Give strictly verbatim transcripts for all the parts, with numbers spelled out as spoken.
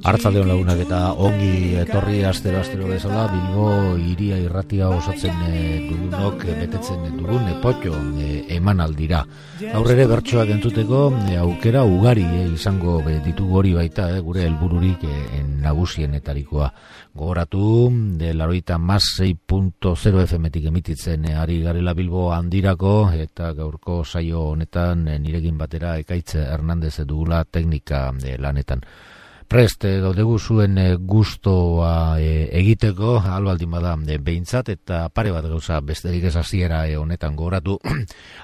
Arratsaldeon lagunak eta ongi etorri astero astero bezala Bilbo hiria irratia osatzen dugunok betetzen dugun potxo emanaldira. Aurrere bertsoak entzuteko aukera ugari izango ditugu, hori baita gure helbururik nagusienetarikoa. Gogoratu de laurogeita hamasei puntu zero F M-tik emititzen ari garela Bilbo handirako, eta gaurko saio honetan nirekin batera Ekaitz Hernandez dugula teknika lanetan. Prest gaudegu zuen gustoa egiteko, albaldin bada behintzat, eta pare bat gauza besterik ez hasiera honetan gogoratu.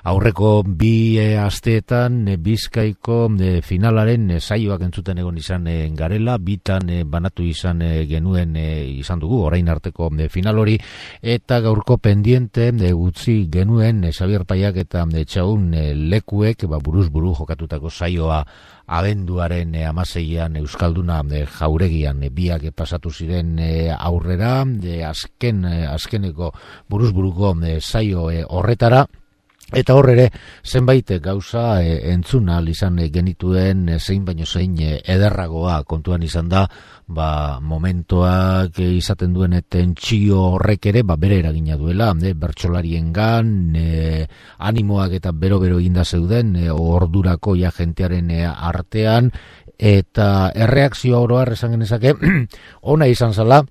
Aurreko bi asteetan Bizkaiko finalaren saioak entzuten egon izan garela, bitan banatu izan genuen izan dugu orain arteko final hori, eta gaurko pendiente utzi genuen Xabier Paiak eta Etxaun lekuek buruz buru jokatutako saioa abenduaren hamaseian Euskalduna Jauregian biak pasatu ziren aurrera, azken azkeneko buruzburuko saio horretara. Eta horrere, zenbait gauza entzuna izan genituen zein baino zein ederragoa kontuan izan da, ba, momentoak izaten duen tentsio horrek ere, ba, bere eragina duela, bertsolariengan, e, animoak eta bero-bero eginda zeuden, e, ordurako ja jentearen artean, eta erreakzioa oroar esan genezake, ona izan zala.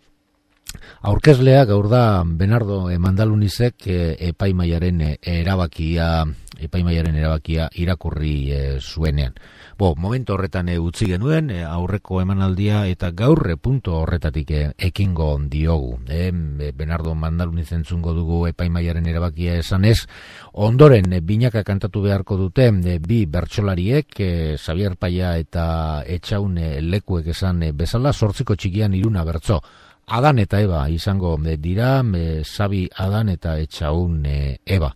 Aurkezlea gaur da Bernardo Mandalunizek epaimaiaren erabakia epaimaiaren erabakia irakurri zuenean. Bo, momentu horretan utzi genuen aurreko emanaldia, eta gaur punto horretatik ekingo diogu. E, Bernardo Mandaluniz entzungo dugu epaimaiaren erabakia esanez, ondoren binaka kantatu beharko dute bi bertsolariek, Xabier Paia eta Etxaun lekuek esan bezala, zortziko txikian iruna bertso. Adan eta Eba izango dira, Xabi Adan eta Etxaun Eba.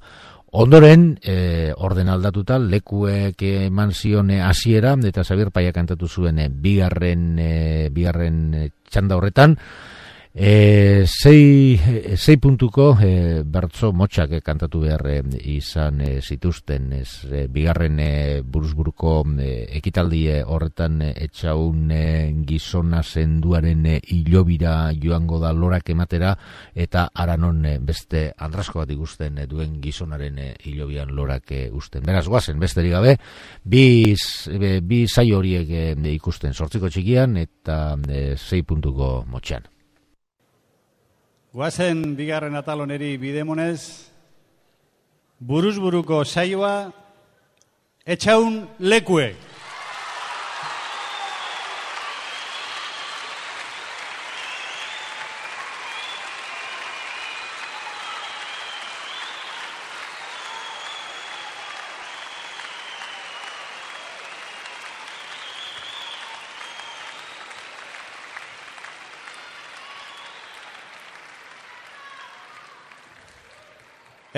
Ondoren, e, orden aldatuta, lekuek eman zion hasiera, eta Xabier Paia kantatu zuen bigarren, e, bigarren txanda horretan, E, sei, sei puntuko e, bertso motxak e, kantatu behar e, izan e, zituzten ez, e, bigarren e, buruzburuko e, ekitaldi horretan e, Etxaun e, gizona zenduaren e, hilobira joango da lorak ematera, eta aranon e, beste andrasko bat ikusten e, duen gizonaren e, hilobian lorak e, usten. Beraz, guazen, besterik gabe, bi, e, bi saio horiek e, ikusten zortziko txikian eta e, sei puntuko motxan. Guazen bigarren ataloneri bidemonez, buruzburuko saioa Etxaun lekuek.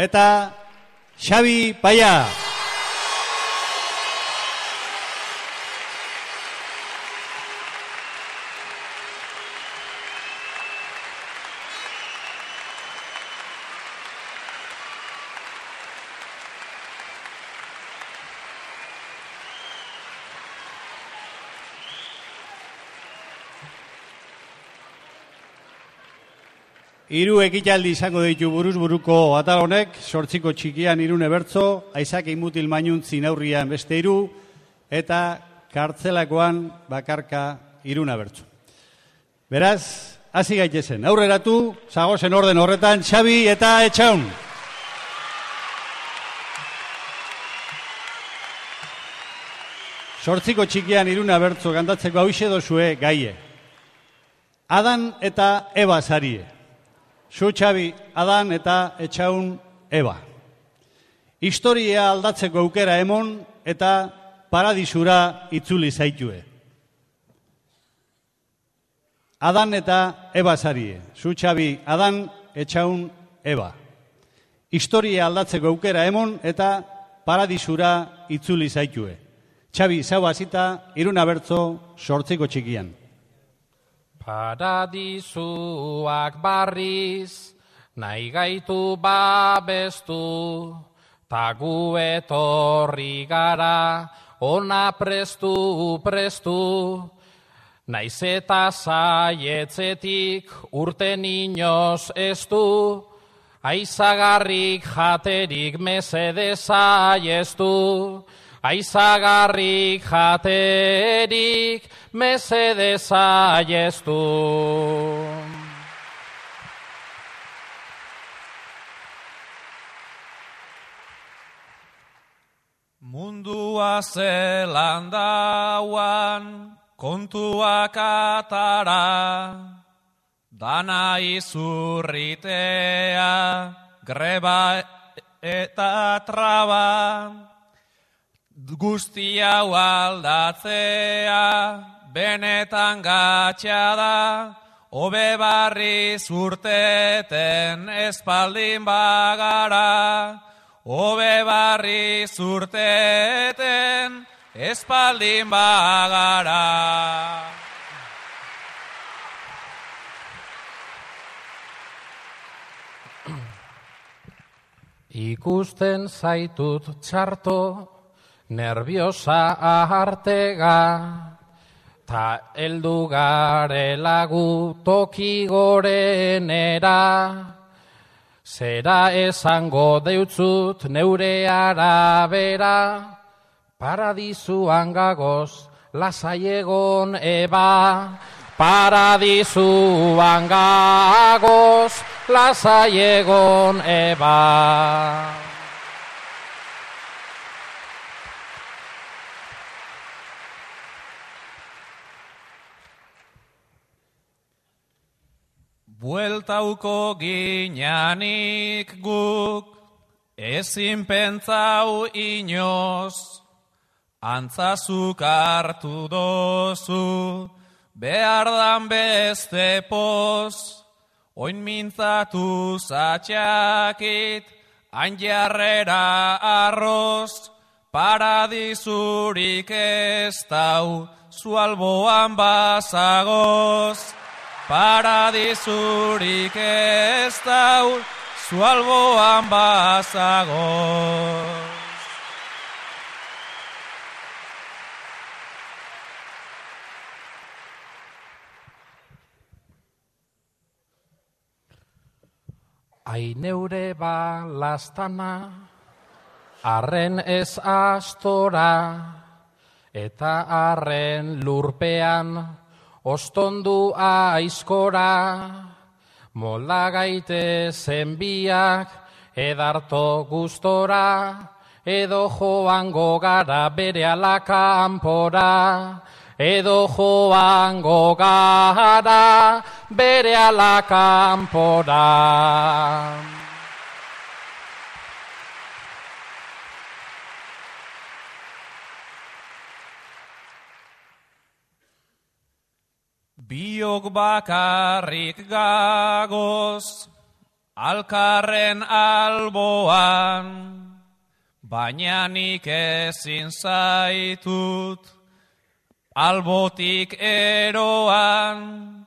Eta Xabi Paia. Hiru ekitaldi izango ditu buruzburuko atal honek, zortziko txikian irune bertso, Aizak Imutil Mainun zinaurrian beste hiru, eta kartzelakoan bakarka iruna bertso. Beraz, hasi gaitezen, aurreratu, zagozen orden horretan, Xabi eta Etxaun. Zortziko txikian iruna bertso kantatzeko hauxe dozue gaie. Adan eta Eba zarie. Zu Xabi, Adan eta Etxaun Eba. Historia aldatzeko aukera emon eta paradisura itzuli zaitue. Adan eta Eba zarie. Zu Xabi, Adan, Etxaun Eba. Historia aldatzeko aukera emon eta paradisura itzuli zaitue. Xabi, zau hasita, iruna bertzo, sortziko txikian. Paradizuak barriz, nahi gaitu babestu, ta gu etorri gara, ona prestu prestu, naiz eta zaietzetik urten inoz ez du, aizagarrik jaterik mesedez aiestu, aizagarrik jaterik mesedez aiestu. Mundua zelan dauan, kontuak atara, dana izurritea, greba eta traba, guzti hau aldatzea, benetan gatsa da, hobe barriz urteten espaldin bagara, hobe barriz urteten espaldin bagara. Ikusten zaitut txarto, nerviosa ahartega, ta heldu garela gu toki gorenera, zera esango deutzut neure arabera, paradizuan gagoz lasai egon eba, paradizuan gagoz lasai egon eba. Bueltauko ginanik guk, ezin pentsau inoz, antzazuk hartu dozu, behar dan beste poz, oin mintzatu zatxakit, hain jarrera arroz, paradizurik ez dau, zu alboan bazagoz. Paradizurik ez dau, zu alboan bazagoz. Ai neure balastana, arren ez astora, eta arren lurpean, ostondu aizkora, molda gaite zenbiak, edarto gustora, edo joango gara bere alakanpora, edo joango gara bere alakanpora. Biok bakarrik gagoz, alkarren alboan, baina nik ezin zaitut, albotik eroan,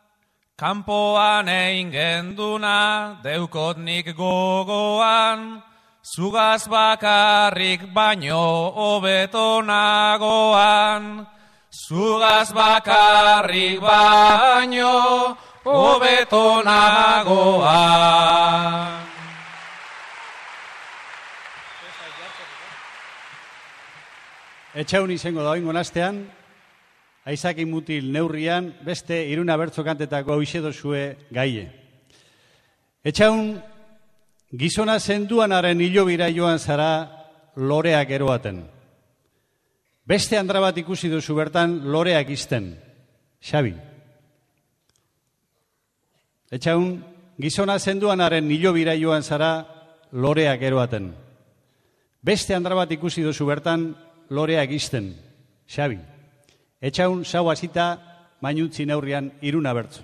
kanpoan egin genduna, deukot nik gogoan, zugaz bakarrik baino hobeto nagoan, zugaz bakarrik baino hobeto nagoan. Etxaun izango da oingo nastean, Aizaki mutil neurrian, beste iruna bertzo kantetako hau dozue gaie. Etxaun, gizona zenduanaren hilobira joan zara loreak eroaten. Beste andra bat ikusi duzu bertan loreak izten. Xabi. Etxaun, gizona zenduanaren hilobira joan zara loreak eroaten. Beste andra bat ikusi duzu bertan loreak izten. Xabi. Etxaun, zau hasita, mainuntzi neurrian iruna bertzo.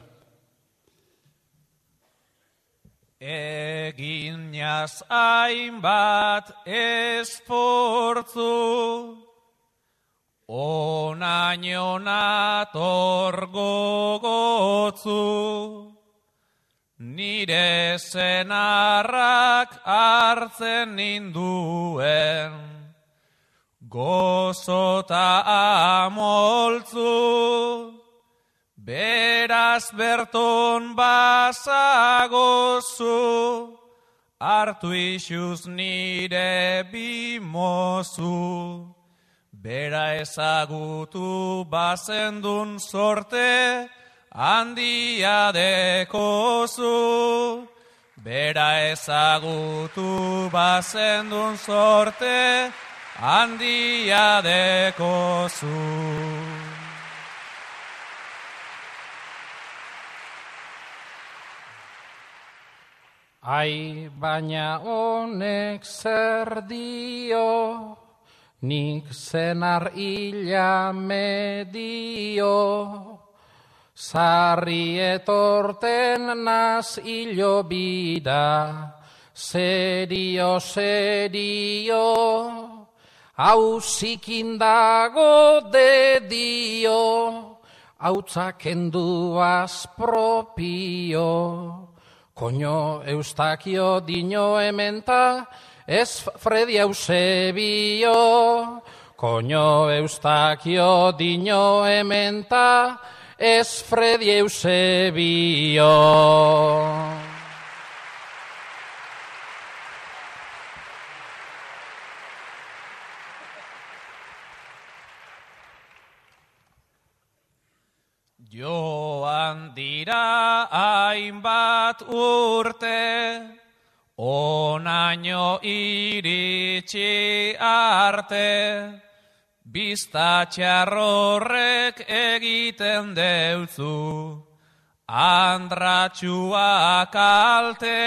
Eginaz hainbat esfortzu, Onaino nator gogotzu, nire senarrak hartzen ninduen, gozota amoltzu, beraz berton bazagozu, hartu isuz nire bimozu. Bera ezagutu bazendun sorte, handia dekozu. Bera ezagutu bazendun sorte, handia dekozu. Ai, baina honek zer dio, nik zenar hila medio, sarri etorten naz hilo bida, serio, serio, hau zikindago dedio, hautzak enduaz propio. Koño Eustakio dino ementa, ez Fredi Eusebio. Koño Eustakio dino ementa, ez Fredi Eusebio. Joan dira hainbat urte, onaino iritsi arte, biztatxarrorrek egiten deutzu, andratxua kalte,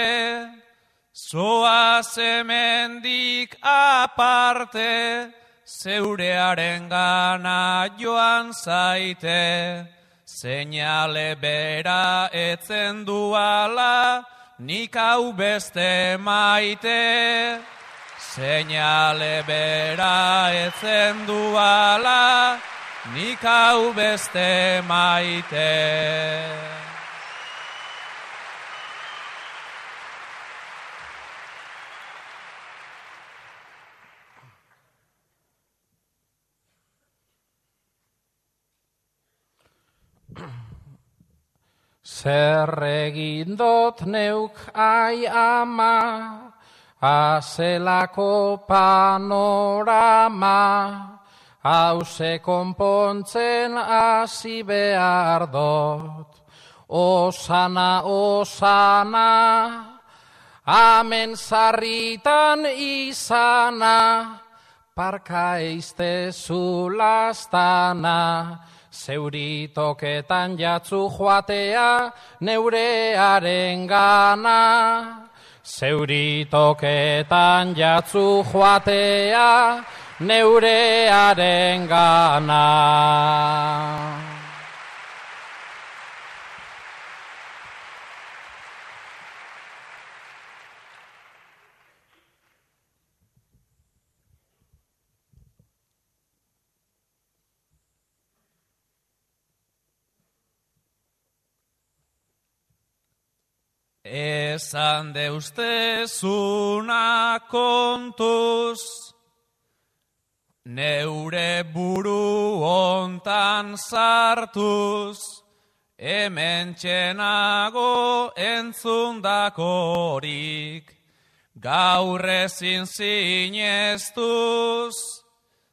zoaz hemendik aparte, zeurearen gana joan zaite, seinale bera etzen duala, nik hau beste maite. Seinale bera etzen duala, nik hau beste maite. Zer egin dot neuk ai ama, azelako panorama, hause konpontzen hasi behar dot. Osana, osana, amen zarritan izana, parka eiztezu lastana, zeuritoketan jatzu joatea neurearen gana. Zeuritoketan jatzu joatea neurearen gana. Esan deustezuna kontuz, neure buru hontan sartuz, hemen txenago entzundakorik, gaur ezin zineztuz,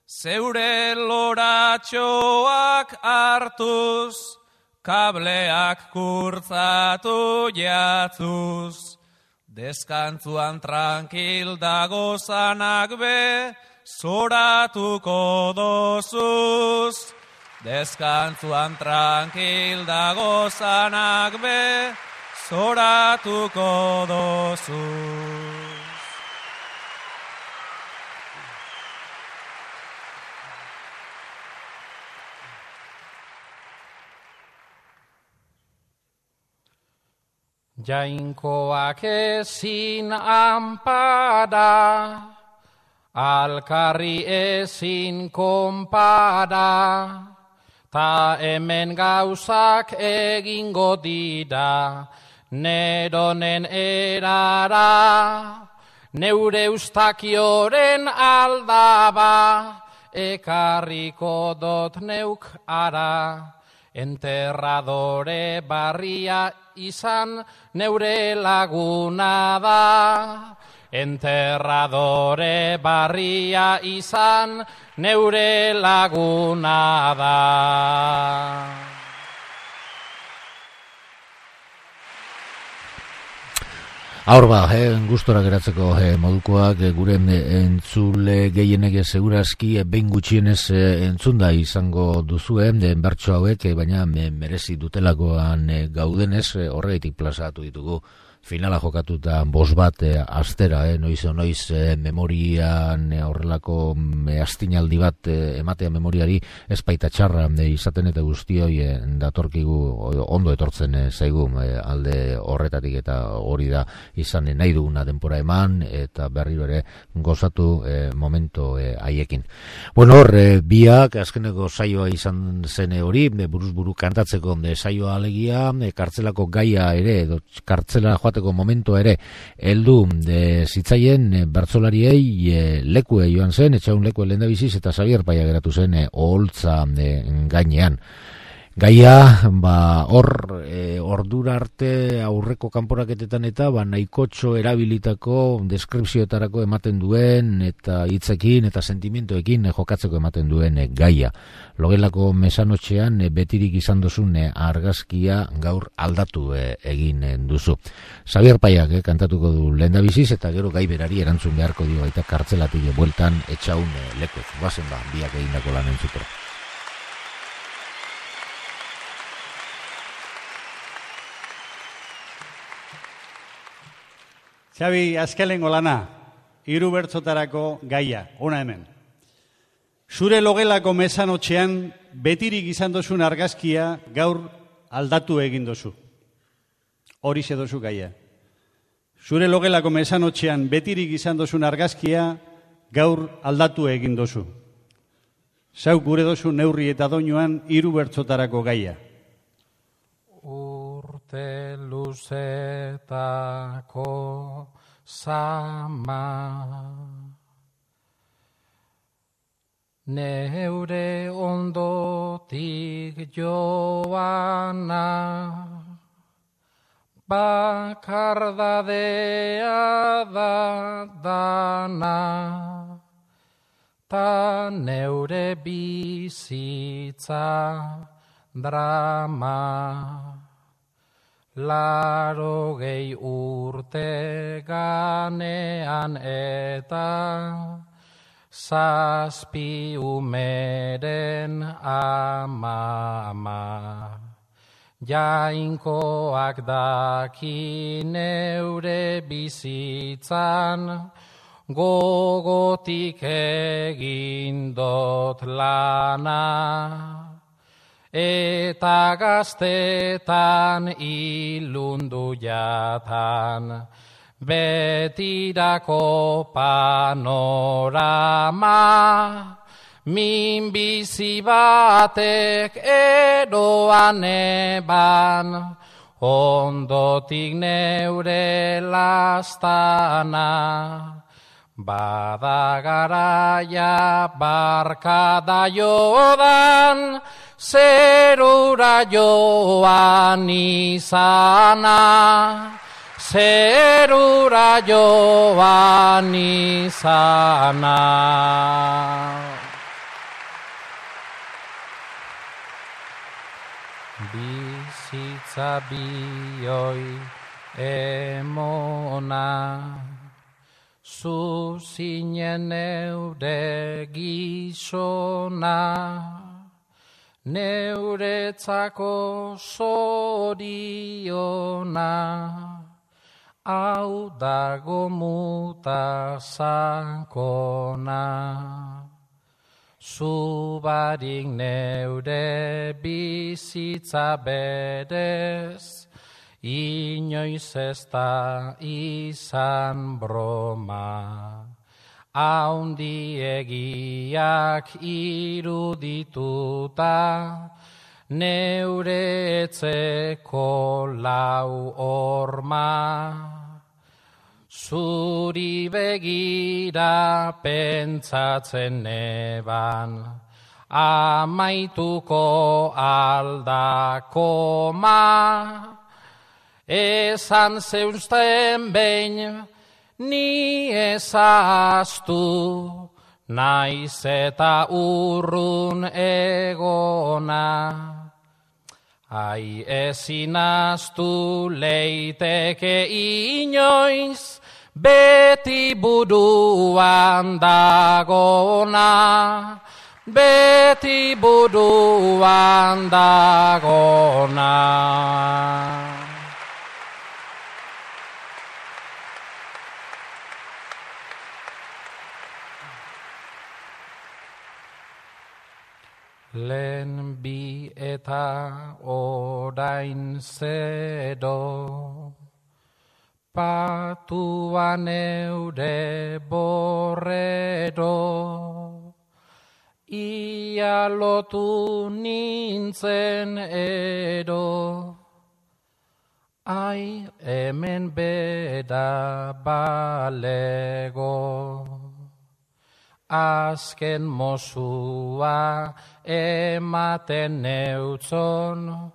zeure loratxoak hartuz, kableak kurtzatu jatzuz, deskantzuan tranquil dagozanak be, zoratuko dozuz. Deskantzuan tranquil dagozanak be, zoratuko dozuz. Jainkoak ezin anpada, alkarri ezin konpara, ta hemen gauzak egingo dira, neronen erara, neure ustakioren aldaba, ekarriko dot neuk ara, enterradore barria izan neure laguna da. Enterradore barria izan neure laguna da. Aur ba, eh, gustora geratzeko eh, modukoak eh, gure entzule gehienek segurazki eh, behin gutxienez eh, entzunda izango duzue eh, bertso hauek, eh, baina eh, merezi dutelakoan eh, gaudenez eh, horregatik plazatu ditugu. Finala jokatuta bost bat eh, astera, eh, noiz o noiz eh, memorian eh, horrelako eh, astinaldi bat eh, ematea memoriari ez baita txarra eh, izaten eta guztioi eh, datorkigu ondo etortzen eh, zaigu eh, alde horretatik eta hori da izan eh, nahi duguna denpora eman eta berriro ere gozatu eh, momento eh, haiekin. Bueno, hor, eh, biak azkeneko saioa izan zen hori, eh, buruz buru kantatzeko eh, saioa alegia, eh, kartzelako gaia ere, edo kartzela joateko momentua ere heldu de zitzaien e, bertsolariei e, lekue joan zen, etxaun lekue lehendabiziz eta Xabier Paia geratu zen e, oholtza e, gainean. Gaia, ba, hor, e, ordura arte aurreko kanporaketetan eta ba, nahikotxo erabilitako deskripzioetarako ematen duen eta hitzekin eta sentimentoekin e, jokatzeko ematen duen e, gaia. Logelako mesanotxean e, betirik izan duzun e, argazkia gaur aldatu e, egin e, duzu. Xabier Paiak e, kantatuko du lehendabiziz eta gero gai berari erantzun beharko dio baita kartzelatik e, bueltan etxaun e, lekuek. Bazen ba, biak egindako lan entzutera. Xabi, azkelengo lana, hiru bertzotarako gaia, ona hemen. Zure logelako mesanotxean betirik izan dozun argazkia gaur aldatu egin dozu. Horixe dozu gaia. Zure logelako mesanotxean betirik izan dozun argazkia gaur aldatu egin dozu. Zau gure dozu neurri eta doinuan hiru bertzotarako gaia. Urte luzetako zama, neure ondotik joana, bakardadea da dana, ta neure bizitza drama. Larogei urte ganean eta zazpi umeren ama. Jainkoak daki neure bizitzan, gogotik egin dot lana. Eta gaztetan ilundu jatan, betirako panorama, min bizi batek eroan eban, ondotik neure lastana. Bada garaia barkada jodan, zerura joan izana, zerura joan izana. Bizitza bioi emona, zu zinen neure gizona, neuretzako zoriona, hau dago muta zankona. Zu barik neure bizitza berez, inoiz ez da izan broma. haundiegiak irudituta, neure etzeko lau horma. Zuri begira pentsatzen neban, amaituko aldakoma. Esan zeuzten behin, ni ezaztu, naiz eta urrun egona. Ai ezin ahaztu leiteke inoiz, beti buruan dagona, beti buruan dagona. Lehen bi eta orain zero, patuan eure borrero, ia lotu nintzen ero, ai hemen bera balego. Azken mozua ematen neutzon,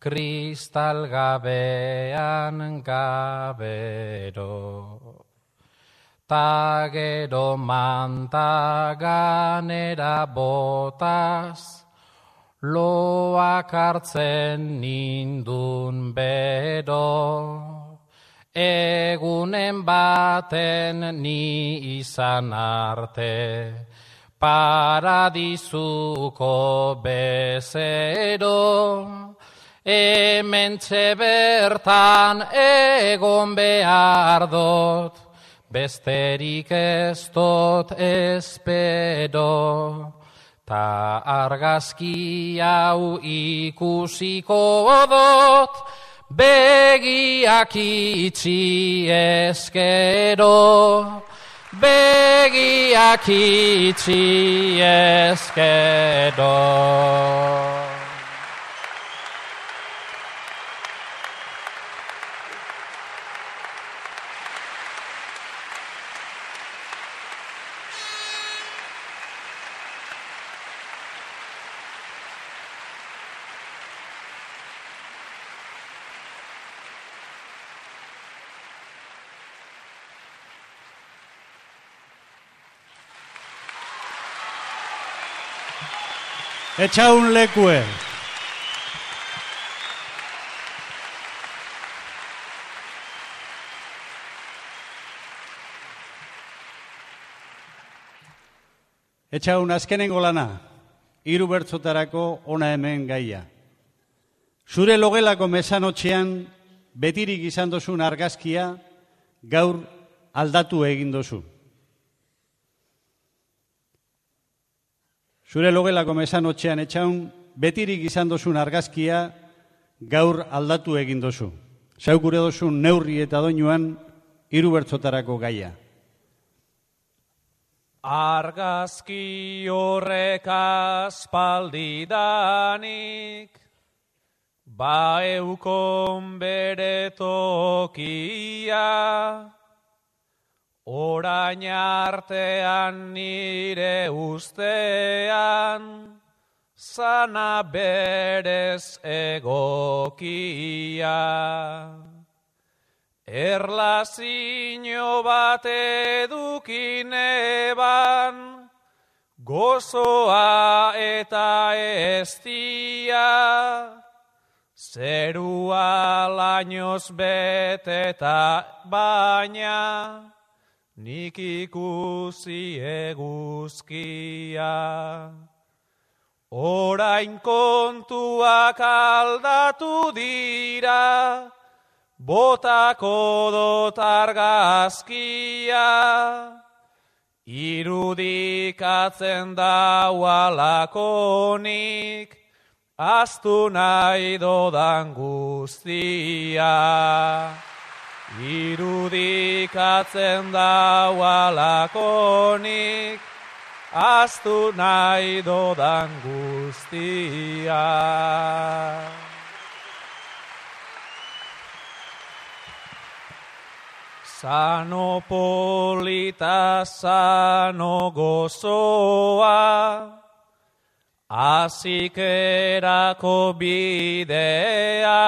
kristal gabean gabero. Ta gero manta ganera botaz, loak hartzen nindun bero. Egunen baten ni izan arte, paradizuko bezero, hementxe bertan egon behar dut, besterik ez dut espero, ta argazki hau ikusiko dut, begiak itxi eskero, begiak itxi eskero. Etxaun lekue. Etxaun azkenengo lana, hiru bertzotarako ona hemen gaia. Zure logelako mesanotxean betirik izan dozun argazkia gaur aldatu egin dozu. Zure logelako mesanotxean etxaun, betirik izan dozun argazkia gaur aldatu egin dozu. Zaukure dozun neurri eta doinuan hiru bertzotarako gaia. Argazki horrek aspaldidanik, ba eukon bere tokia, orain artean nire ustean, zana berez egokia. Erlazio bat edukineban, gozoa eta eztia, zerua lainoz beteta baina, nik ikusi eguzkia. Orain kontuak aldatu dira, botako dot argazkia, irudikatzen daualakonik, ahaztu nahi dodan guztia. irudikatzen daualakonik, aztu nahi dodan guztia. Sano polita, sano gozoa, azikerako bidea,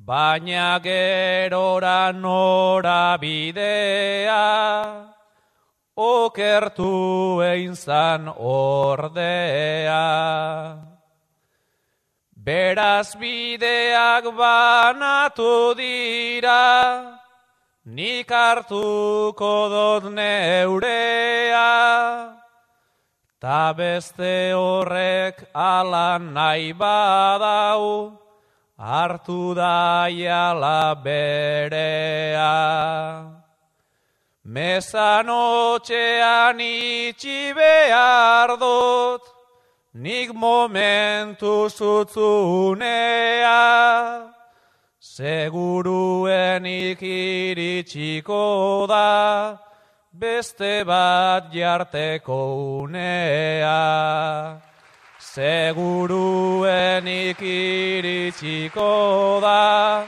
baina gerora nora bidea, okertu egin zan ordea. Beraz bideak banatu dira, nik hartuko dot neurea, ta beste horrek ala nahi badau, hartu daiala berea. Mezanotxean itxi behar dut, nik momentu zutzunea, seguruenik iritsiko da, beste bat jarteko unea. Seguruenik iritsiko da,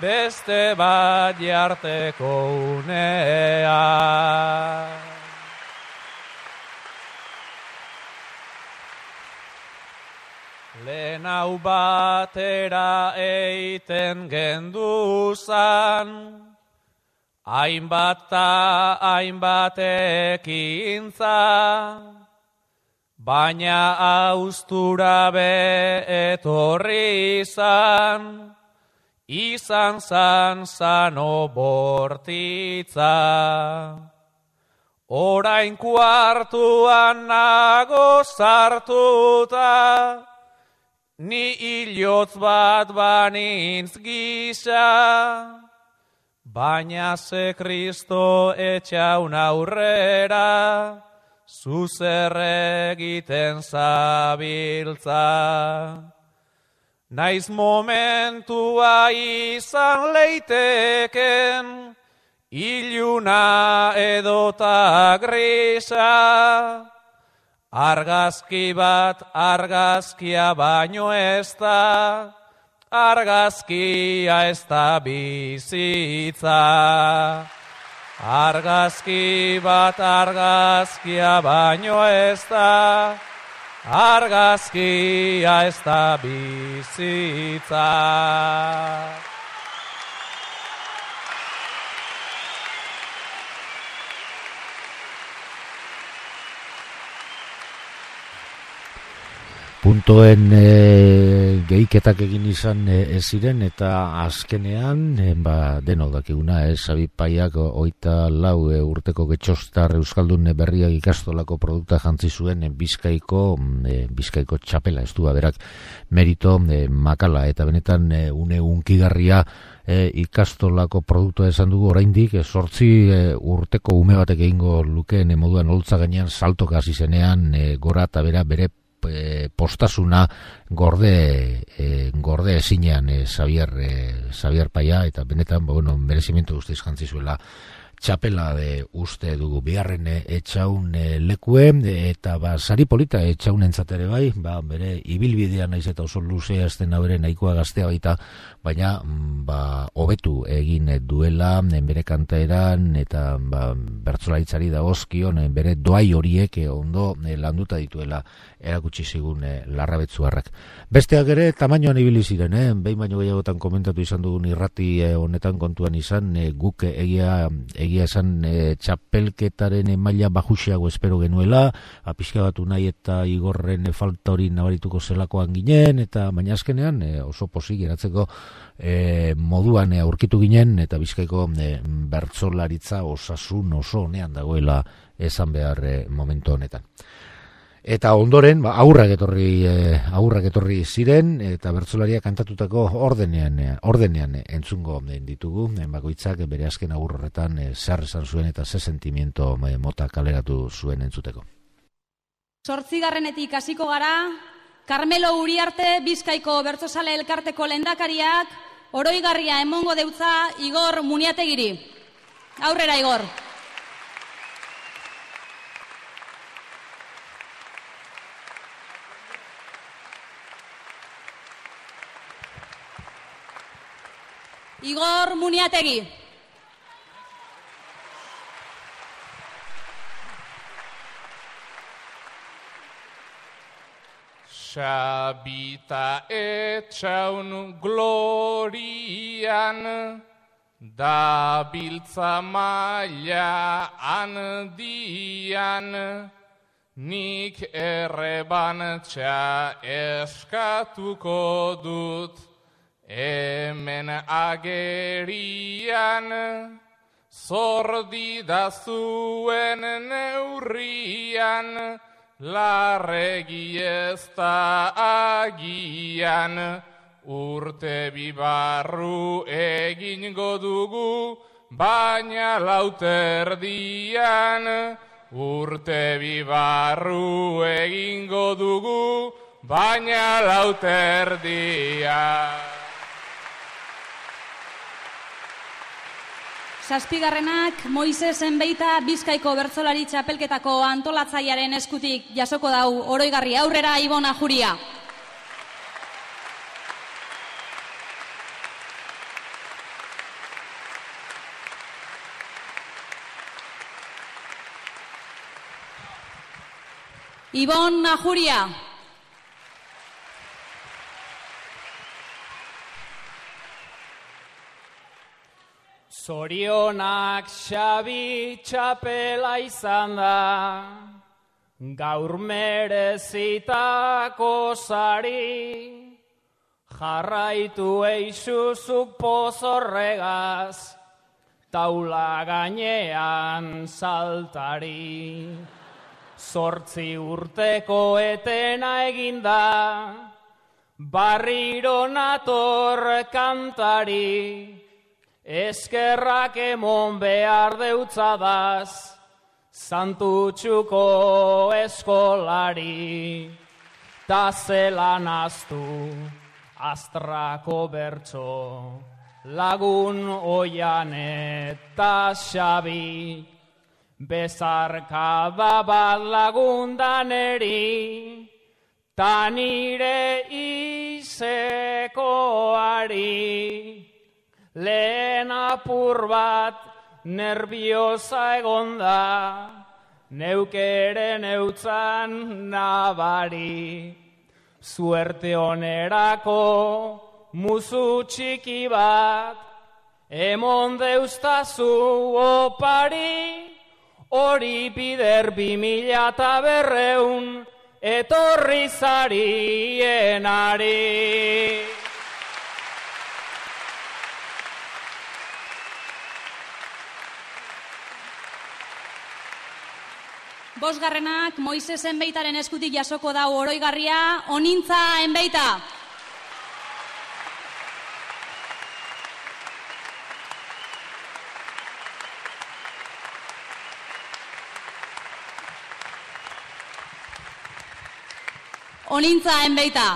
beste bat jarteko unea. Lehen hau batera eiten genduzan, hainbat ta hainbat ekintza, baina austura be etorri izan, izan zan zano bortitza. Orain kuartuan nago sartuta, ni hilotz bat banintz gisa, baina ze Kristo etxaun aurrera, zuzer egiten zabiltza. Naiz momentua izan leiteken, iluna edota grisa, argazki bat argazkia baino ez da, argazkia ez da bizitza. Argazki bat argazkia baino ez da, argazkia ez da bizitza. Puntoen e, gehiketak egin izan e, ez ziren eta azkenean e, ba, denok dakiguna, e, Sabipaiak oita lau e, urteko getxostar euskaldun berriak ikastolako produkta jantzi zuen e, Bizkaiko e, Bizkaiko txapela, ez du berak merito e, makala eta benetan e, une unkigarria e, ikastolako produktua esan dugu oraindik e, sortzi e, urteko ume batek egingo lukeen e, moduan holtza gainean saltoka hasi zenean e, gora eta bera bere postasuna gorde e, gorde ezinean e, Xavier e, Xavier Paia eta benetan ba, bueno, merezimiento guztiz jantzi zuela txapela de uste dugu bigarren etxaun e, lekue eta ba sari polita etxaunentzat ere bai, ba bere ibilbidea naiz eta oso luzea estena bere nahikoa gaztea baita, baina ba hobetu egin duela bere kantaeran eta ba bertsolaritzari dagozkion bere doai horiek ondo landuta dituela erakutsi zigun e, Larrabetzuarrak. Besteak ere tamainoan ibili ziren, eh? Behin baino gehiagotan komentatu izan dugun irrati e, honetan kontuan izan e, guk egia egia esan e, txapelketaren maila bajuxeago espero genuela, apiska batu nahi eta Igorren e, falta hori nabarituko zelakoan ginen, eta baina azkenean e, oso pozik geratzeko e, moduan e, aurkitu ginen, eta Bizkaiko e, bertsolaritza osasun oso honean dagoela esan behar e, momentu honetan. Eta ondoren, ba, aurrak etorri, eh, aurrak etorri ziren, eta bertsolaria kantatutako ordenean, eh, ordenean eh, entzungo eh, ditugu, eh, bakoitzak bere azken agur horretan eh, zer esan zuen eta ze sentimiento eh, mota kaleratu zuen entzuteko. Zortzigarrenetik hasiko gara, Carmelo Uriarte Bizkaiko Bertsozale Elkarteko lehendakariak oroigarria emongo deutza Igor Muniategiri. Aurrera, Igor. Igor Muniategi. Xabita etxaun glorian, da biltza maila handian, nik errebantxa eskatuko dut, hemen agerian, zordida zuen neurrian, larregi ez da agian, urte bibarru egingo dugu, baina lauterdian, urte bibarru egingo dugu, baina lauterdian. Zazpigarrenak Moises Enbeita Bizkaiko bertsolari txapelketako antolatzailearen eskutik jasoko dau oroigarri. Aurrera, Ibon Ajuria. Ibon Ajuria. Zorionak Xabi txapela izan da, gaur merezitako sari, jarraitu eixuzuk pozorregaz, taula gainean saltari. Zortzi urteko etena eginda, barriro nator kantari, eskerrak emon behar deutzadaz, santutxuko eskolari, ta zelan aztu astrako bertso, lagun oian eta Xabi, bezarkada bat lagundaneri, ta nire izekoari. Lehen apur bat nerviosa egonda, neukeren eutzan nabari. Suerte onerako musu txiki bat, emon deuztazu opari, hori bider bi mila eta berreun, etorri zarienari. Bosgarrenak Moises Enbeitaren eskutik jasoko dau oroigarria, Onintza Enbeita. Onintza Enbeita.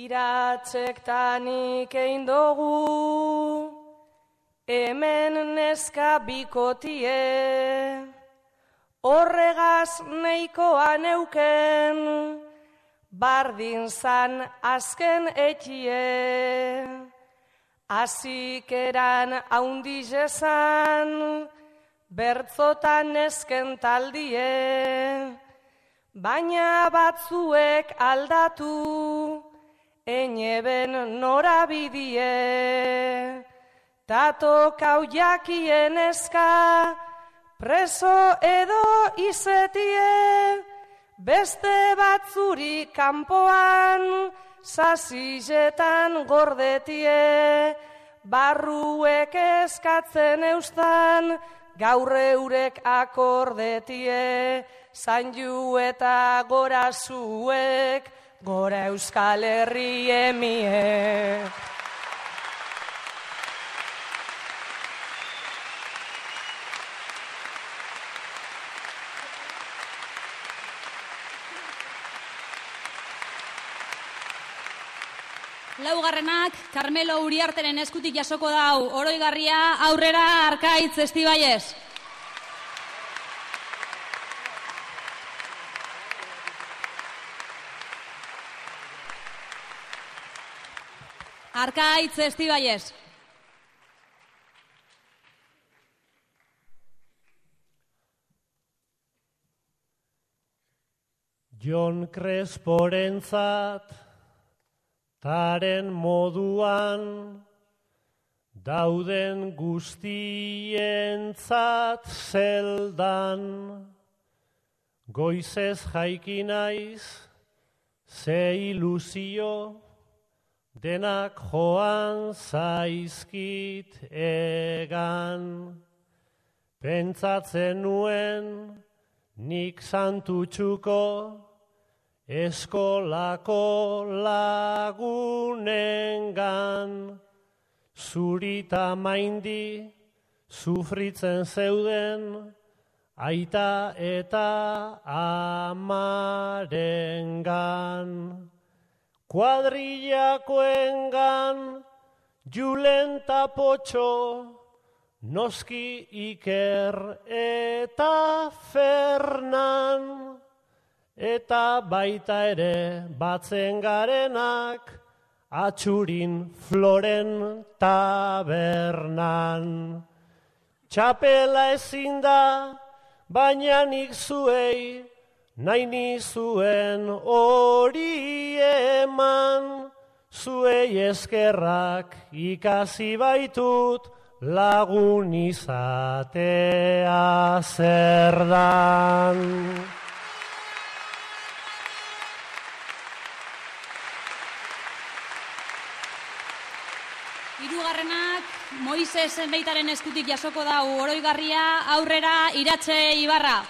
Iratzektanik egin dugu, hemen neska bikotie, horregaz neikoa neuken, bardin zan azken etxie, azikeran haundiz ezan, bertzotan nesken taldie, baina batzuek aldatu, eneben norabidie, tato kau jakien eska, preso edo izetie, beste batzuri kanpoan, zazilletan gordetie, barruek eskatzen eustan, gaur eurek akordetie, zanju eta gora zuek, gora Euskal Herri emie. Laugarrenak, Carmelo Uriarteren eskutik jasoko dau, oroigarria, aurrera, Arkaitz Estibaiez. Arkaitz Estibaiez. Jon Cresporentzat taren moduan dauden guztientzat zeldan goizez jaiki naiz ze ilusio denak joan zaizkit egan pentsatzen nuen nik santutxuko eskolako lagunengan zurita maindi sufritzen zeuden aita eta amarengan kuadrillakoengan Julen Tapotxo noski Iker eta Fernan eta baita ere batzen garenak atxurin Floren tabernan. Txapela ezin da, baina nik zuei nahi nizuen hori eman, zuei eskerrak ikasi baitut lagun izatea zer dan. Hirugarrenak Moises Enbeitaren eskutik jasoko dau, oroigarria, aurrera, Iratxe Ibarra.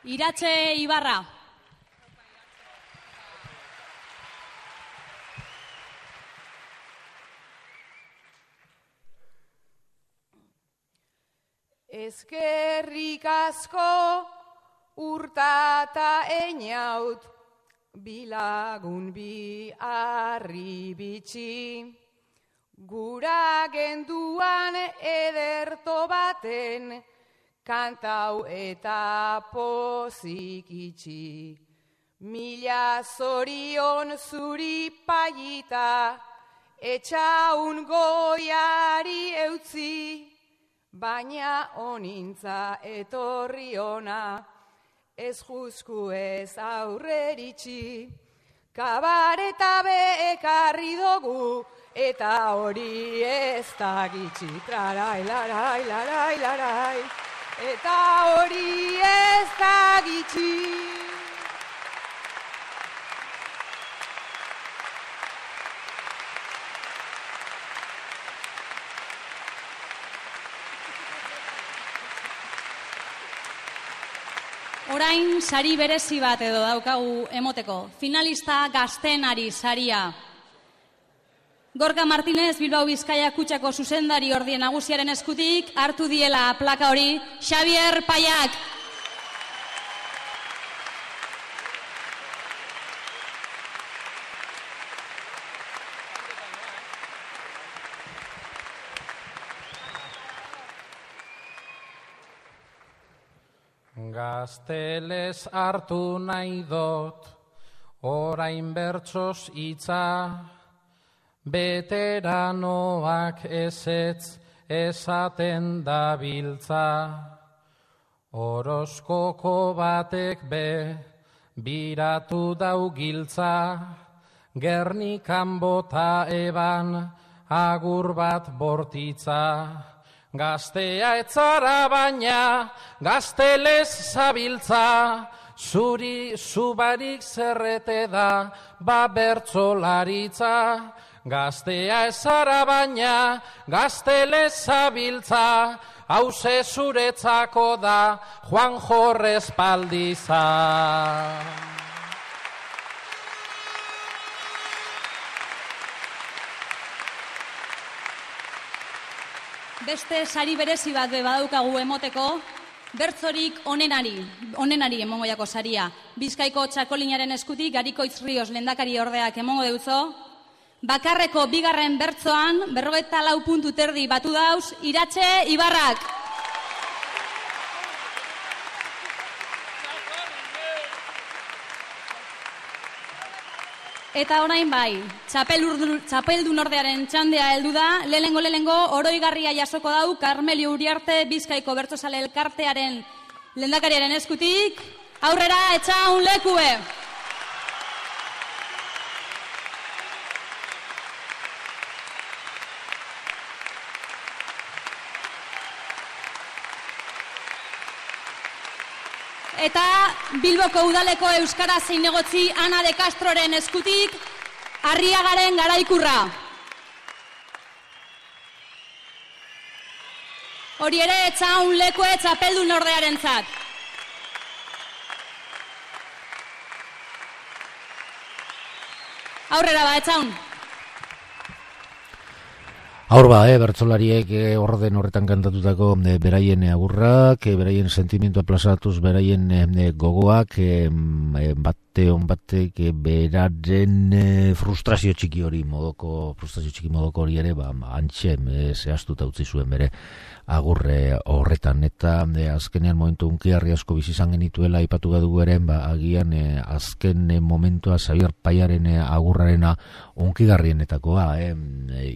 Iratxe Ibarra. Eskerrik asko urtata einaut, bilagun bi harri bitxi, gura genduan ederto baten, kantau eta pozik itxi. Mila zorion zuri paiita, etxaun goiari eutzi, baina onintza etorri ona, ez juzku ez aurreritxi. Kabareta be ekarri dugu, eta hori ez da gitxi. Larai, larai, larai, larai, eta hori ez da gitxi. Orain sari berezi bat edo daukagu emoteko. Finalista gaztenari saria. Gorka Martinez, Bilbao Bizkaia Kutxako zuzendari ordien nagusiaren eskutik, hartu diela plaka hori, Xavier Paiak. Gaztelez hartu nahi dot, orain bertsoz hitza, beteranoak ezetz esaten dabiltza. Horoskoko batek be, biratu dau giltza, Gernikan bota eban, agur bat bortitza. Gaztea etzara baina, gaztelez zabiltza, zuri zubarik zerrete da, ba bertzolaritza. Gaztea ezara baina, gaztelez zabiltza, hauze zuretzako da, Juan Jorrez Paldiza. beste sari berezi bat be badaukagu emoteko, bertzorik onenari, onenari emongo jako saria. Bizkaiko txakolinaren eskutik, Garikoitz Rios lehendakari ordeak emongo deutzo, bakarreko bigarren bertzoan, berrogeita lau puntu terdi batu dauz, Iratxe Ibarrak. Eta orain bai, txapeldun ordearen txandea heldu da, lehenengo lehenengo oroigarria jasoko dau Karmelio Uriarte Bizkaiko Bertsozale Elkartearen lehendakariaren eskutik, aurrera etxaun lekue. Eta Bilboko udaleko euskara zein egotzi Ana de Castroren eskutik, Arriagaren Garaikurra. Hori ere etxaun lekue txapeldun ordearentzat. Aurrera ba, etxaun. Aur ba, eh, bertsolariek eh, orden horretan kantatutako eh, beraien agurrak, eh, beraien sentimentua plazatuz, beraien eh, gogoak, eh, bate on batek eh, beraren eh, frustrazio txiki hori modoko, frustrazio txiki modoko hori ere, ba, antxe eh, zehaztuta utzi zuen bere agurre horretan, eta eh, azkenean momentu unkiarri asko bizizan genituela aipatu gadugu ere, ba, agian eh, azken eh, momentua Xabier Paiaren eh, agurrarena unkigarrienetakoa, eh,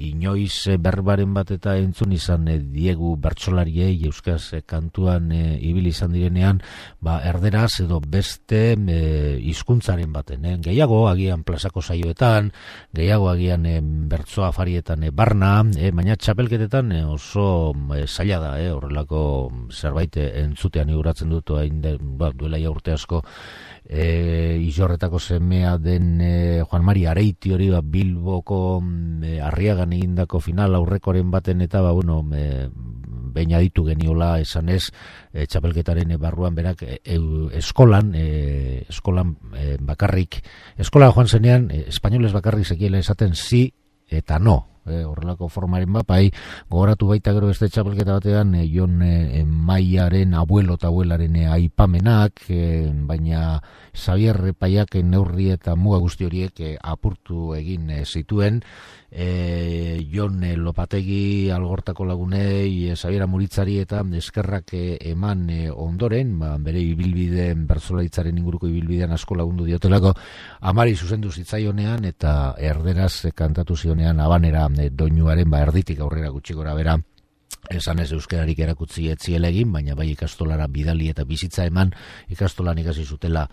inoiz eh, berbaren bat eta entzun izan eh, diegu bertsolariei euskaz eh, kantuan eh, ibili izan direnean, ba, erderaz edo beste eh, hizkuntzaren baten, eh, gehiago agian plazako saioetan, gehiago agian eh, bertso afarietan eh, barna, eh, baina txapelketetan eh, oso eh, zaila da, eh, horrelako zerbait eh, entzutean iguratzen dut, hain de, ba, duela ja urte asko, E, izorretako semea den e, Juan Mari Areiti hori ba, Bilboko e, Arriagan egindako final aurrekoren baten eta ba, bueno, e, behin aditu geniola esanez e, txapelketaren barruan berak e, e, eskolan e, eskolan e, bakarrik eskola joan zenean e, espainoles bakarrik zekiela esaten zi eta no. E, horrelako formaren bat, bai, gogoratu baita gero beste txapelketa batean, e, Jon e, Maiaren abuelo eta abuelaren e, aipamenak, e, baina Xabier Paiak neurri eta muga guzti horiek e, apurtu egin e, zituen, e, Jon e, Lopategi Algortako lagunei, e, Xabier Amuritzari eta eskerrak e, eman e, ondoren, ba, bere ibilbideen bertsolaritzaren inguruko ibilbidean asko lagundu diotelako, amari zuzendu zitzaionean eta erderaz e, kantatu zionean abanera doinuaren ba erditik aurrera gutxi gora bera esan ez euskararik erakutzi etziela egin, baina bai ikastolara bidali eta bizitza eman ikastolan ikasi zutela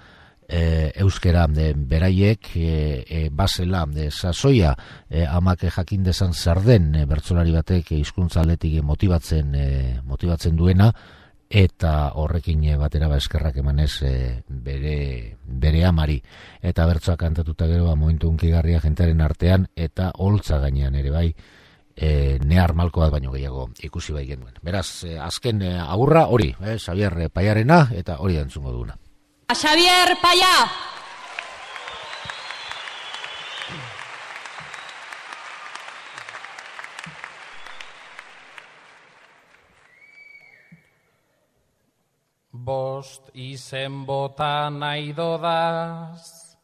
e, euskara e, beraiek e, e, basela e, sasoia e, amak jakin dezan zer den e, bertsolari batek hizkuntza aldetik motibatzen e, motibatzen duena eta horrekin batera ba eskerrak emanez e, bere, bere amari eta bertsoak kantatuta gero ba, momentu unkigarria jentearen artean eta holtza gainean ere bai e, nehar malko bat baino gehiago ikusi bai genuen. Beraz, e, azken e, agurra hori, eh, Xabier Paiarena eta hori entzungo duguna. Xabier Paia! Bost izen bota nahi dodaz,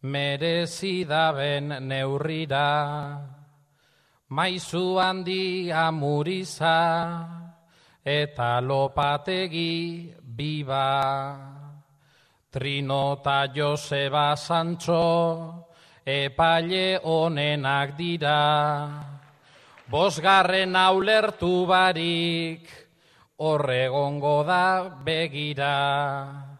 merezi daben neurrira, maizu handi amuriza, eta Lopategi biba, Trinota Joseba Sancho, epaile onenak dira, bosgarren aulertu barik, horregongo da begira.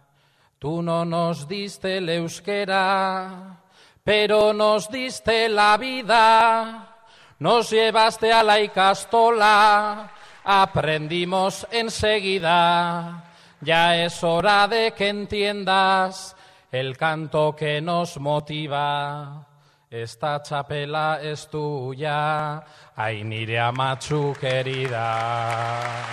Tu no nos diste el euskera, pero nos diste la vida. Nos llevaste a la ikastola, aprendimos enseguida. Ya es hora de que entiendas el canto que nos motiva. Esta txapela es tuya, ai nire amatxu querida.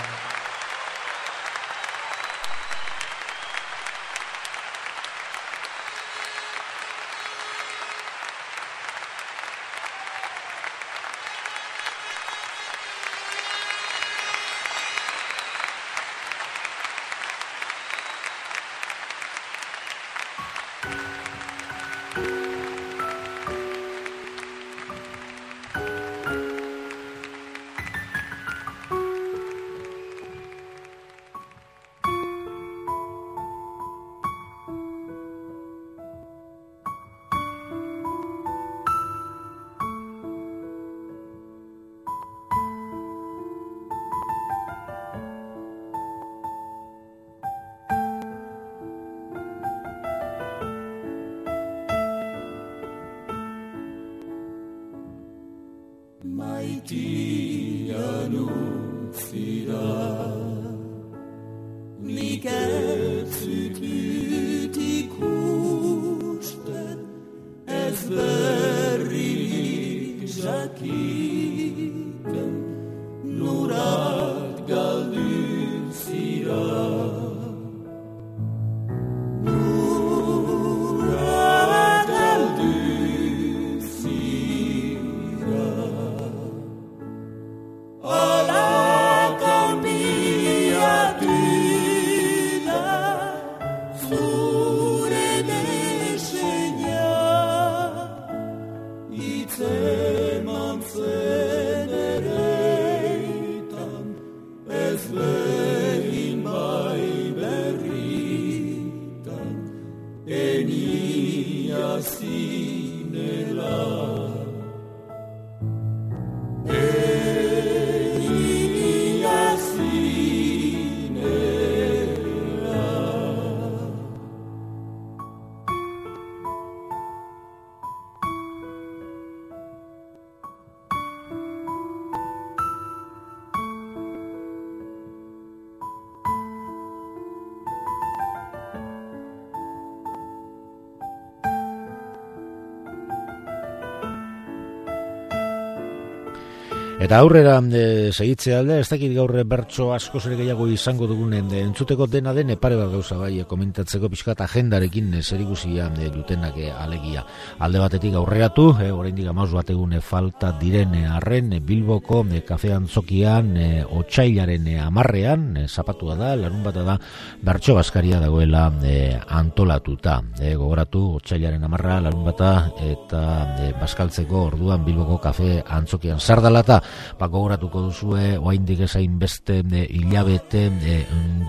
Eta aurrera e, segitzea alde, ez dakit gaur bertso asko ere gehiago izango dugunen de, entzuteko dena den pare bat gauza bai komentatzeko pixkat agendarekin e, zerikusia e, dutenak e, alegia. Alde batetik aurreratu, e, oraindik hamabost bat egun e, falta diren arren e, Bilboko e, kafe antzokian e, otsailaren e, hamarrean e, zapatua da, larun bata da bertso baskaria dagoela e, antolatuta. E, gogoratu otsailaren hamarra larun bata eta e, baskaltzeko orduan Bilboko kafe antzokian sardalata. Ba, gogoratuko duzue, oaindik ezain beste e, hilabete e,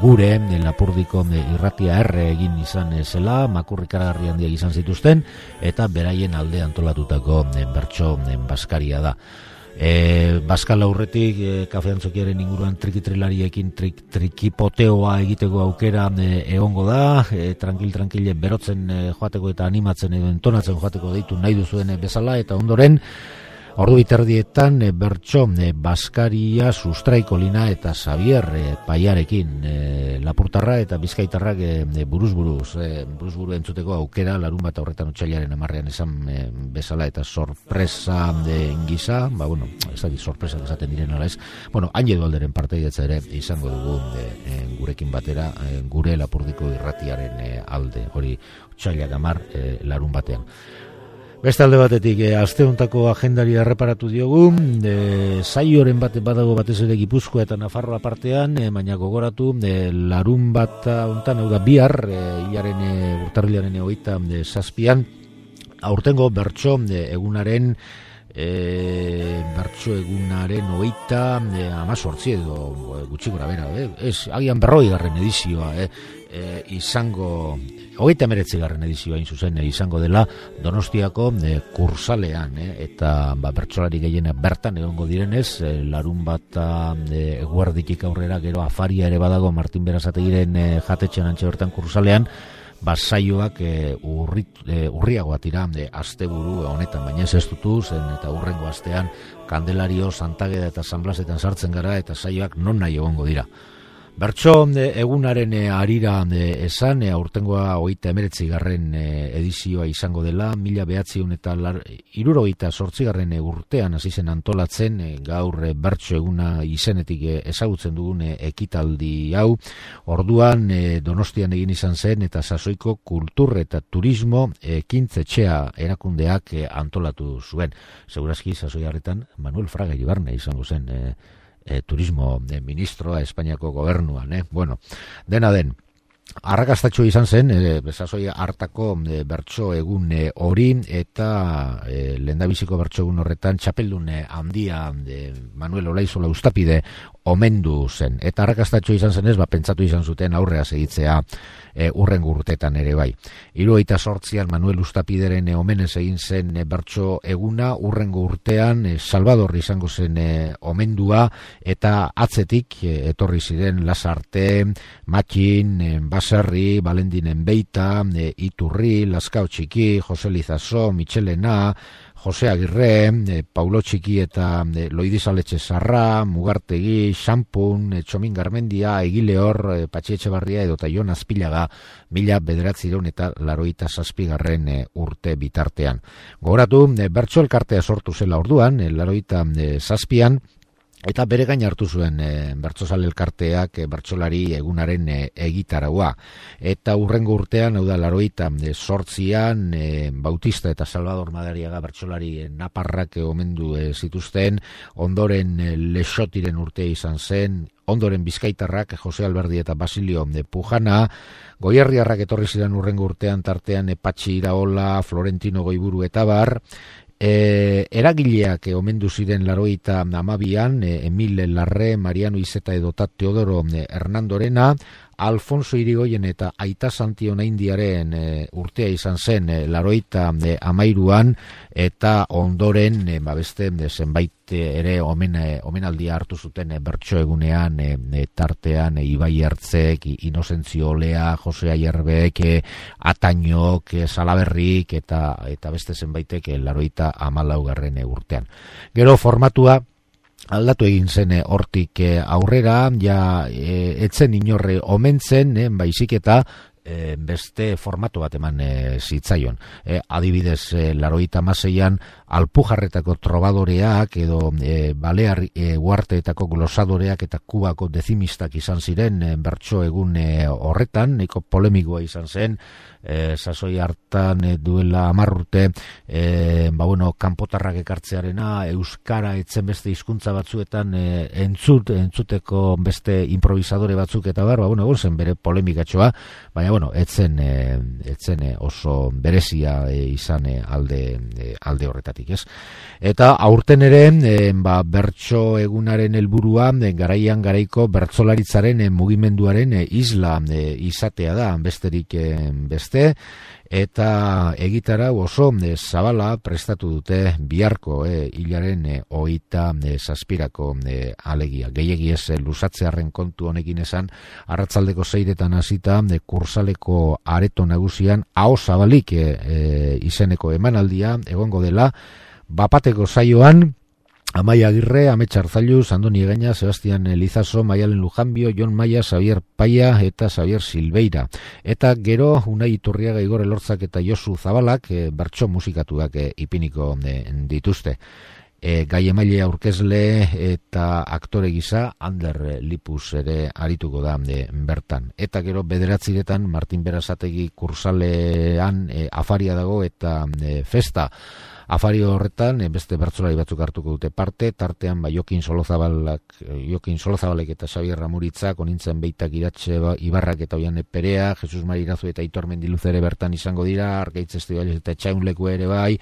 gure e, Lapurdiko e, irratia erre egin izan e, zela, makurri karagarri handiak izan zituzten, eta beraien alde antolatutako e, bertso e, baskaria da. E, Baskal aurretik e, kafe antzokiaren inguruan trikitrilariekin trik, trikipoteoa egiteko aukera e, egongo da, e, tranquil-tranquil berotzen e, joateko eta animatzen edo entonatzen joateko deitu nahi duzuen e, bezala, eta ondoren ordu biterdietan e, bertso e, baskaria Sustraiko Lina eta Xavier e, Paiarekin e, Lapurtarra eta Bizkaitarrak e, e, buruz-buruz e, buruz-buru entzuteko aukera larun bat horretan otsailaren hamarrean esan e, bezala eta sorpresa e, gisa, ba bueno, ez da sorpresa esaten diren ala ez, bueno, hain edo alderen parteidetza ere izango dugu e, e, gurekin batera e, gure Lapurdiko irratiaren e, alde, hori otsailak hamar e, larun batean. Beste alde batetik, e, asteontako agendari erreparatu diogu, e, saioren bat badago batez ere Gipuzkoa eta Nafarroa partean, e, baina gogoratu, e, larun bat hontan, hau da bihar, e, hilaren e, urtarrilaren hogeita e, zazpian, aurtengo bertso e, egunaren e, bertso egunaren hogeita e, amazortzi edo e, gutxi gora bera, e, ez, agian berroi garren edizioa, e, e, izango hogeita hemeretzi garren edizioa hain zuzen e, izango dela Donostiako e, kursalean e, eta ba, bertsolari gehienak bertan egongo direnez e, larun bat e, eguerditik aurrera gero afaria ere badago Martin Berasategiren e, jatetxean antxe bertan kursalean, ba, saioak e, urrit, e, urriagoa tira e, asteburu honetan, baina ez ez dutu zen eta urrengo astean Kandelario, Santageda eta San Blasetan sartzen gara eta saioak non nahi egongo dira. Bertso egunaren arira esan, aurtengoa hogeita hemeretzi garren edizioa izango dela, mila behatziehun eta hirurogeita zortzi garren urtean hasi zen antolatzen, gaur bertso eguna izenetik ezagutzen dugun ekitaldi hau, orduan Donostian egin izan zen eta sasoiko kultur eta turismo ekintzetxea erakundeak antolatu zuen. Segurazki sasoi harretan Manuel Fraga Iribarne izango zen E, turismo e, ministroa Espainiako gobernuan, eh? Bueno, dena den, arrakastatxo izan zen, e, bezazoi hartako e, bertso egun e, hori, eta e, lehendabiziko bertso egun horretan txapeldun e, handia e, Manuel Olaizola Ustapide omendu zen. Eta arrakastatxo izan zenez, ba, pentsatu izan zuten aurrea segitzea e, urrengo urtetan ere bai. Hirurogeita zortzian Manuel Ustapideren e, omenez egin zen e, bertso eguna, urrengo urtean e, Salvador izango zen e, omendua, eta atzetik e, etorri ziren Lasarte, Matxin, e, Baserri, Balendinen Beita, e, Iturri, Laskao Txiki, Jose Lizaso, Michelena, Jose Agirre, e, Paulo Txiki eta e, Loidizaletxe Sarra, Mugartegi, Xampun, e, Txomin Garmendia, Egileor, e, Patxi Etxebarria edo eta Jon Azpilaga mila bederatzireun eta laroita zazpigarren e, urte bitartean. Gogoratu, e, bertso elkartea sortu zela orduan, e, laroita e, zazpian, eta bere gain hartu zuen e, bertsozale elkarteak e, bertsolari egunaren e, egitaraua. Eta urrengo urtean, hau da, laroita e, sortzian, e, Bautista eta Salvador Madariaga bertsolari e, naparrak e, omendu e, zituzten, ondoren e, Lexotiren urtea izan zen, ondoren Bizkaitarrak, Jose Alberdi eta Basilio de Pujana, Goierriarrak etorri ziren urrengo urtean tartean e, Patxi Iraola, Florentino Goiburu eta bar, E, eragileak e, omendu ziren laroita amabian, e, Emil Larre, Mariano Izeta edota Teodoro e, Hernandorena, Alfonso Irigoyen eta Aita Santiona Indiaren e, urtea izan zen e, laroita e, amairuan, eta ondoren e, ba beste e, zenbait ere omen, e, omenaldia hartu zuten e, bertso egunean e, e, tartean e, Ibai Ertzek, Inozentzio Olea, Jose Aierbek, e, Atañok, e, Salaberrik eta eta beste zenbaitek e, laroita amalaugarren urtean. Gero formatua aldatu egin zen hortik aurrera, ja e, etzen inorre omentzen, e, baizik eta e, beste formatu bat eman e, zitzaion. E, adibidez, e, laroita maseian Alpujarretako trobadoreak edo e, Balear e, Uarteetako glosadoreak eta Kubako dezimistak izan ziren e, bertso egun e, horretan, nahiko polemikoa izan zen, e, sasoi hartan e, duela hamar urte, e, ba bueno, kanpotarrak ekartzearena, euskara etzen beste hizkuntza batzuetan e, entzut, entzuteko beste improvisadore batzuk eta bar, ba bueno, egon zen bere polemikatxoa, baina bueno, etzen, e, etzen e, oso berezia e, izan e, alde, e, alde horretatik. Ez? Eta aurten ere e, ba, bertso egunaren helburua e, garaian garaiko bertsolaritzaren e, mugimenduaren e, isla e, izatea da, besterik e, beste, eta egitara oso e, zabala prestatu dute biharko e, hilaren e, hogeita e, zazpirako e, alegia. Gehiegi ez e, luzatzearen kontu honekin esan, arratsaldeko seiretan hasita e, kursaleko areto nagusian aho zabalik e, e, izeneko emanaldia egongo dela, bapateko saioan Amaia Agirre, Amets Arzailu, Andoni Egaña, Sebastian Lizaso, Maialen Lujanbio, Jon Maia, Xavier Paia eta Xavier Silveira. Eta gero Unai Iturriaga, Igor Elortzak eta Josu Zabalak e, bertso musikatuak e, ipiniko e, dituzte. E, gai emaile aurkezle eta aktore gisa Ander Lipus ere arituko da e, bertan. Eta gero bederatziretan Martin Berazategi kursalean e, afaria dago eta e, festa. Afari horretan, beste bertsolari batzuk hartuko dute parte, tartean ba, Jokin Solozabalak, Jokin Solozabalek eta Xabier Ramuritzak, onintzen Beitak Iratxe Ibarrak eta Oiane Perea, Jesus Mari Irazu eta Aitor Mendiluz ere bertan izango dira, Argaitz Estibaliz eta Etxaunleku ere bai,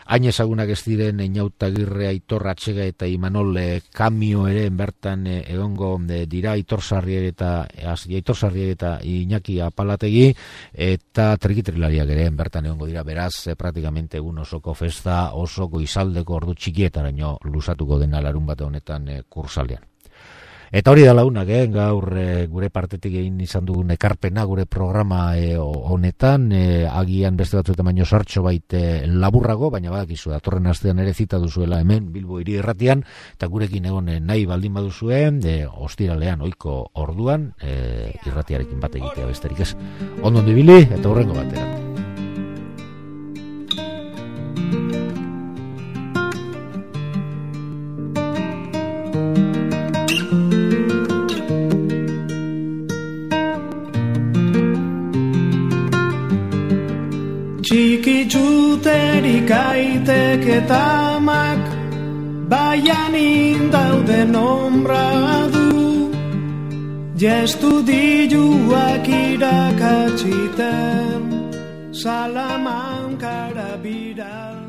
hain ezagunak ez diren Inautagirre, Aitor Atxega eta Imanol Kamio ere bertan egongo dira, Aitor Sarrier eta Aitor Sarrier eta Iñaki Apalategi, eta trikitrilariak ere bertan egongo dira, beraz, praktikamente egun osoko festa, oso goizaldeko ordu txikietaraino luzatuko dena larun bate honetan e, kursaldean. Eta hori da launak, eh? Gaur e, gure partetik egin izan dugun ekarpena gure programa e, honetan, e, agian beste batzuetan baino sartxo bait e, laburrago, baina badakizu datorren astean ere zita duzuela hemen Bilbo Hiri Irratian, eta gurekin egon e, nahi baldin baduzuen, e, ostiralean ohiko orduan e, irratiarekin bat egitea besterik ez. Ondo ibili eta hurrengo batera. Txiki txuterik aitek eta amak, baian indauden ombra du, jestu diluak irakatsiten, Salamankara bira.